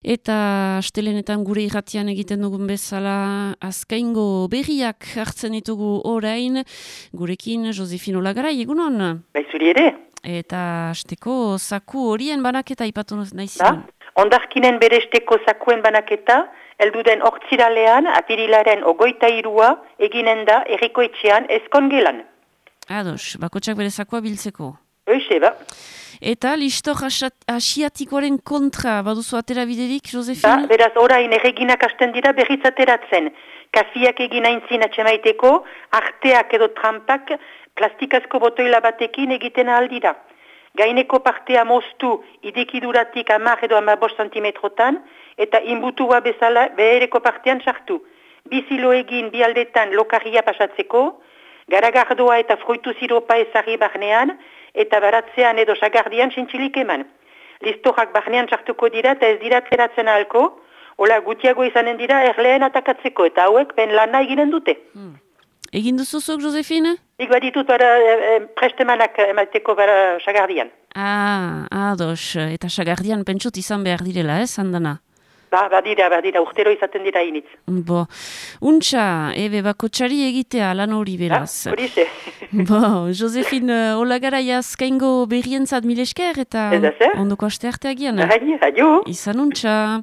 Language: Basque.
Eta astelenetan gure irratian egiten dugun bezala azkaingo berriak hartzen ditugu orain, gurekin Josefino Lagarai, egunon? Bai, zuri ere. Eta asteko zaku horien banaketa ipatu naizien. Ondarkinen beresteko zakuen banaketa, elduden ortziralean, apirilaren 23 eginen da errikoetxean ezkongelan. Ados, bakotsak bere zakua biltzeko. Hoxe, ba. Eta listor asiatikoaren kontra, baduzu atera biderik, Josefina? Beraz, orain erreginak hasten dira berriz ateratzen. Kafiak egin aintzin atxemaiteko, arteak edo trampak plastikazko botoila batekin egiten ahal dira. Gaineko partea moztu idekiduratik 10 edo 15 centimetrotan, eta inbutua bezala behereko partean sartu. Bizilo egin bi aldetan lokarria pasatzeko, garagardoa eta fruitu siropa ezarri barnean, eta baratzean edo sagardian sintxilik eman. Listorak barnean sartuko dira eta ez dira ateratzen ahalko, hola gutiago izanen dira erleen atakatzeko, eta hauek ben lana eginen dute. Egin duzuzuk, Josefina? Nik baditut prestemanak emateko sagardian. Ados, eta sagardian pentsot izan behar direla, handana? Badira, urtero izaten dira initz. Bo, untxa, bakotxari egitea lan hori beraz. Horize. Josefine Olagarai azkaingo berrientzat mil esker eta ondoko aste arteagian. Adio. Izan untxa.